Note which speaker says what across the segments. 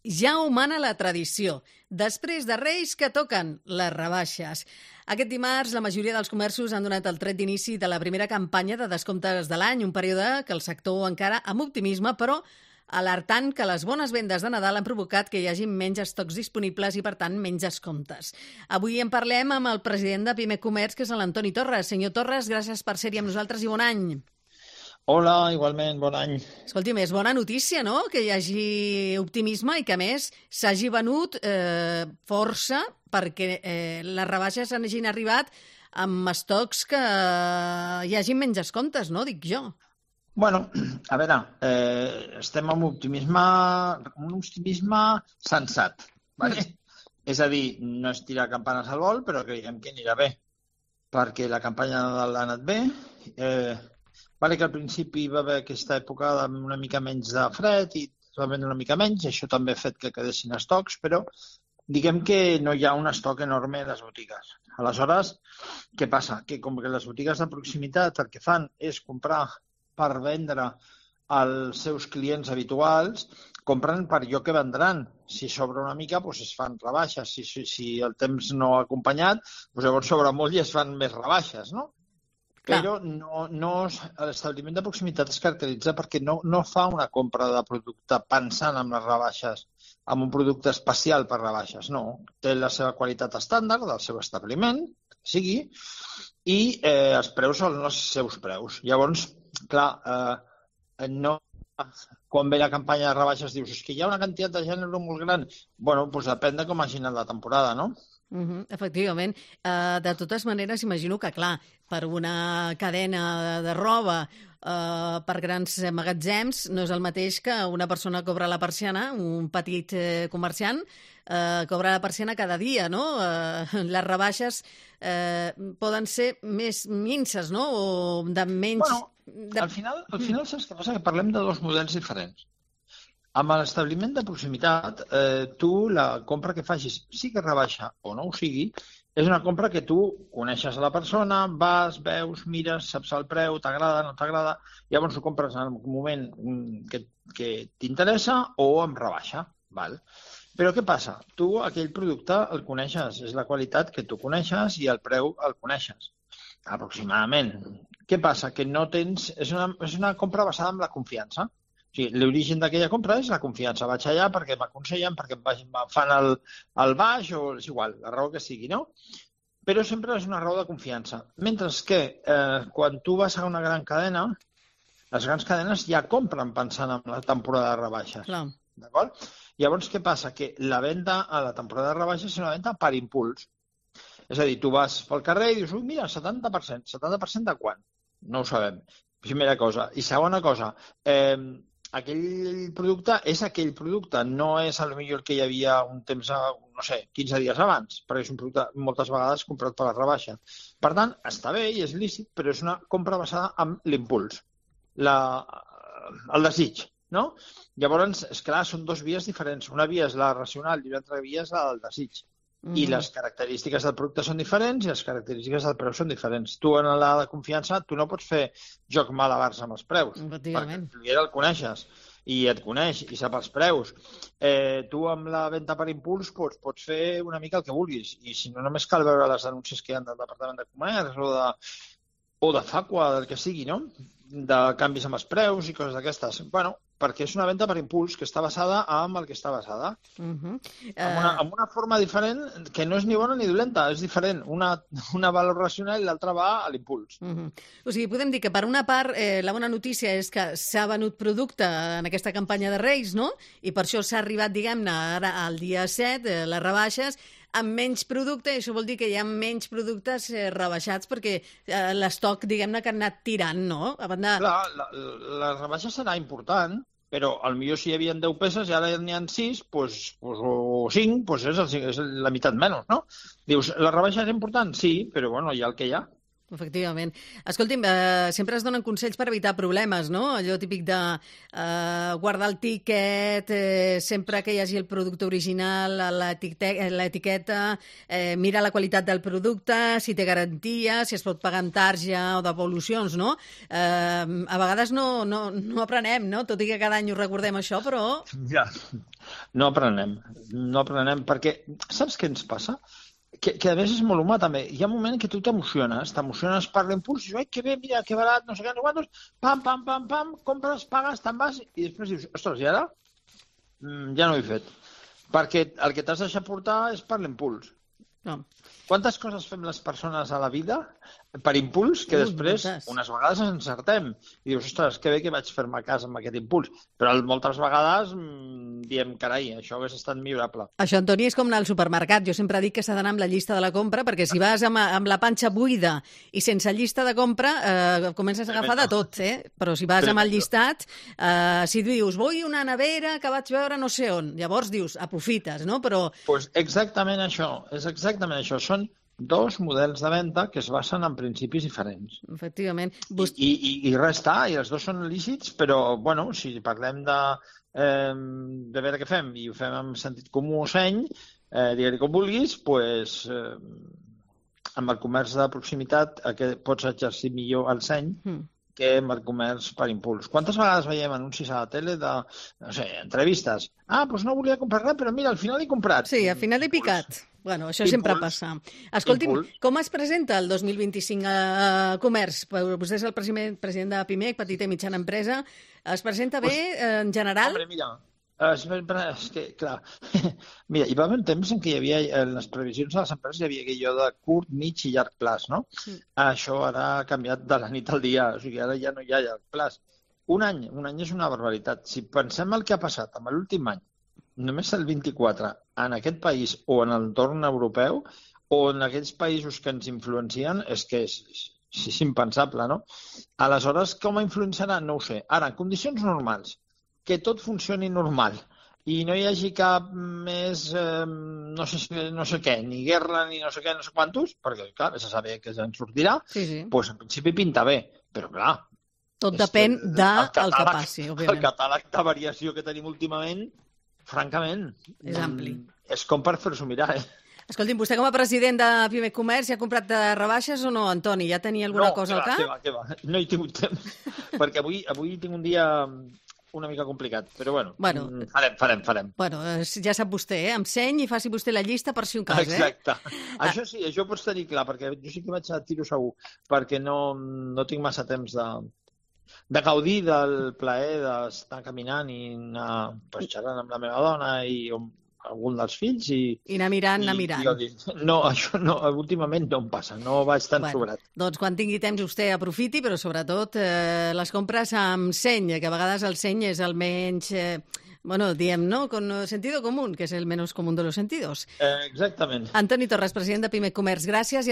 Speaker 1: Ja ho mana la tradició. Després de Reis que toquen les rebaixes. Aquest dimarts la majoria dels comerços han donat el tret d'inici de la primera campanya de descomptes de l'any, un període que el sector encara amb optimisme, però alertant que les bones vendes de Nadal han provocat que hi hagi menys estocs disponibles i, per tant, menys descomptes. Avui en parlem amb el president de Pime Comerç, que és l'Antoni Torres. Senyor Torres, gràcies per ser-hi amb nosaltres i bon any.
Speaker 2: Hola, igualment, bon any.
Speaker 1: Escolti'm, és bona notícia, no?, que hi hagi optimisme i que, a més, s'hagi venut força perquè les rebaixes hagin arribat amb estocs que hi hagi menys descomptes, no?, dic jo.
Speaker 2: Bueno, a veure, estem amb un optimisme sensat, ¿vale? És a dir, no és tirar campanes al vol, però creiem que anirà bé, perquè la campanya de Nadal ha anat bé. Vale que al principi va haver aquesta època amb una mica menys de fred i es va vendre una mica menys, i això també ha fet que quedessin estocs, però diguem que no hi ha un estoc enorme a les botigues. Aleshores, què passa? Que com que les botigues de proximitat el que fan és comprar per vendre als seus clients habituals, compren per allò que vendran. Si sobra una mica, doncs es fan rebaixes. Si el temps no ha acompanyat, doncs llavors sobra molt i es fan més rebaixes, no? Però l'establiment de proximitat es caracteritza perquè no fa una compra de producte pensant en les rebaixes, en un producte especial per rebaixes, no. Té la seva qualitat estàndard del seu establiment, que sigui, i els preus són els seus preus. Llavors, clar, quan ve la campanya de rebaixes dius que hi ha una quantitat de gènere molt gran. Bueno, doncs depèn de com hagi anat la temporada, no?
Speaker 1: Efectivament. De totes maneres, imagino que, clar, per una cadena de roba, per grans magatzems, no és el mateix que una persona cobra la persiana, un petit comerciant, cobra la persiana cada dia, no? Les rebaixes poden ser més minces, no? O de menys...
Speaker 2: Bueno, al final saps què passa? Que parlem de dos models diferents. Amb l'establiment de proximitat, tu la compra que facis, sigui rebaixa o no ho sigui, és una compra que tu coneixes a la persona, vas, veus, mires, saps el preu, t'agrada, no t'agrada, llavors ho compres en el moment que t'interessa o amb rebaixa. Val? Però què passa? Tu aquell producte el coneixes, és la qualitat que tu coneixes i el preu el coneixes, aproximadament. Què passa? Que no tens... És una compra basada en la confiança. O sigui, l'origen d'aquella compra és la confiança. Vaig allà perquè m'aconsellen, perquè em fan el baix o és igual, la raó que sigui, no? Però sempre és una raó de confiança. Mentre que quan tu vas a una gran cadena, les grans cadenes ja compren pensant en la temporada de rebaixes.
Speaker 1: Clar.
Speaker 2: D'acord? Llavors, què passa? Que la venda a la temporada de rebaixes és una venda per impuls. És a dir, tu vas pel carrer i dius, mira, 70%. 70% de quan? No ho sabem. Primera cosa. I segona cosa, aquell producte és aquell producte, no és potser el que hi havia un temps, no sé, 15 dies abans, perquè és un producte moltes vegades comprat per la rebaixa. Per tant, està bé i és lícit, però és una compra basada en l'impuls, el desig, no? Llavors, esclar, són dos vies diferents. Una via és la racional i una altra via és la del desig. I les característiques del producte són diferents i les característiques del preu són diferents. Tu, en la de confiança, tu no pots fer joc malabars amb els preus. Perquè el client el coneixes i et coneix i sap els preus. Tu, amb la venda per impuls, pots fer una mica el que vulguis. I si no, només cal veure les denúncies que hi ha del Departament de Comerç o de Facua, del que sigui, no? De canvis amb els preus i coses d'aquestes. Bueno, perquè és una venda per impuls que està basada en el que està basada. Amb una forma diferent que no és ni bona ni dolenta, és diferent. Una valor racional i l'altra va a l'impuls.
Speaker 1: O sigui, podem dir que per una part la bona notícia és que s'ha venut producte en aquesta campanya de Reis, no? I per això s'ha arribat, diguem-ne, ara al dia 7, les rebaixes, amb menys producte, i això vol dir que hi ha menys productes rebaixats perquè l'estoc, diguem-ne, que han anat tirant, no?
Speaker 2: Clar, la rebaixa serà important, però potser si hi havia 10 peces i ara n'hi ha 6, o 5, doncs és la meitat menys, no? Dius, la rebaixa és important? Sí, però bueno, hi ha el que hi ha.
Speaker 1: Efectivament. Escolti'm, sempre es donen consells per evitar problemes, no? Allò típic de guardar el tíquet, sempre que hi hagi el producte original, l'etiqueta, mira la qualitat del producte, si té garantia, si es pot pagar amb tarja o devolucions, no? A vegades no aprenem, no? Tot i que cada any ho recordem això, però...
Speaker 2: Ja, no aprenem perquè saps què ens passa? Que a més és molt humà també. Hi ha un moment que tu t'emociones per l'impuls, i dius, ai, que bé, mira, que barat, no sé què, no quantos, pam, compres, pagues, te'n vas, i després dius, ostres, i ara? Ja no ho he fet. Perquè el que t'has deixat portar és per l'impuls.
Speaker 1: No.
Speaker 2: Quantes coses fem les persones a la vida per impuls que després, unes vegades ens encertem. I dius, ostres, que bé que vaig fer-me cas amb aquest impuls. Però moltes vegades diem, carai, això hauria estat millorable.
Speaker 1: Això, Antoni, és com anar al supermercat. Jo sempre dic que s'ha d'anar amb la llista de la compra, perquè si vas amb la panxa buida i sense llista de compra, comences a agafar de tot, Però si vas amb el llistat, si dius, vull una nevera que vaig veure no sé on, llavors dius, aprofites, no? Però...
Speaker 2: Pues exactament això, Són dos models de venda que es basen en principis diferents.
Speaker 1: Efectivament.
Speaker 2: I res està, i els dos són lícits, però, bueno, si parlem de veure què fem, i ho fem amb sentit comú o seny, digue-li com vulguis, doncs, amb el comerç de proximitat pots exercir millor el seny que amb el comerç per impuls. Quantes vegades veiem anuncis a la tele de, no sé, entrevistes? Doncs no volia comprar res, però mira, al final he comprat.
Speaker 1: Sí, al final he picat. Bueno, això sempre passa. Escolti'm, com es presenta el 2025 a comerç? Vostè és el president de PIMEC, Petita i Mitjana Empresa. Es presenta bé en general?
Speaker 2: Home, mira, és que, clar, mira, hi va haver un temps en què hi havia, en les previsions de les empreses hi havia aquell de curt, mig i llarg plaç, no? Això ara ha canviat de la nit al dia, o sigui, ara ja no hi ha llarg plaç. Un any és una barbaritat. Si pensem el que ha passat amb l'últim any, només el 24, en aquest país o en l'entorn europeu o en aquells països que ens influencien, és que és impensable, no? Aleshores, com influenciarà? No ho sé. Ara, en condicions normals, que tot funcioni normal i no hi hagi cap més, no sé què, ni guerra, ni no sé què, no sé quantos, perquè, clar, se sabe que se'n sortirà, doncs en principi pinta bé, però, clar,
Speaker 1: tot depèn del que passi, òbviament.
Speaker 2: El catàleg de variació que tenim últimament, francament,
Speaker 1: és ampli.
Speaker 2: És com per fer-s'ho mirar,
Speaker 1: Escolti'm, vostè com a president de PIMEC Comerç ja ha comprat rebaixes o no, Antoni? Ja tenia alguna cosa al cap?
Speaker 2: No, no he tingut temps, perquè avui tinc un dia una mica complicat, però bueno. Farem.
Speaker 1: Bueno, ja sap vostè, amb seny i faci vostè la llista per si un cas,
Speaker 2: Exacte. Això sí, això ho pots tenir clar, perquè jo sí que vaig a tiro segur, perquè no tinc massa temps de gaudir del plaer d'estar caminant i anar xerrant amb la meva dona i algun dels fills i
Speaker 1: anar mirant.
Speaker 2: No, això no, últimament no em passa, no vaig tan sobrat.
Speaker 1: Doncs quan tingui temps vostè aprofiti, però sobretot les compres amb seny, que a vegades el seny és el menys... diem, ¿no? Con sentido común, que es el menos común de los sentidos.
Speaker 2: Exactament.
Speaker 1: Antoni Torres, president de PIMEC Comerç, gràcies,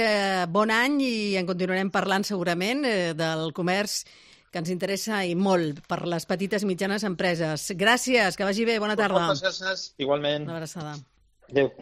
Speaker 1: bon any i en continuarem parlant segurament del comerç que ens interessa i molt per les petites i mitjanes empreses. Gràcies, que vagi bé, bona tarda.
Speaker 2: Moltes gràcies, igualment.
Speaker 1: Una abraçada.
Speaker 2: Adéu.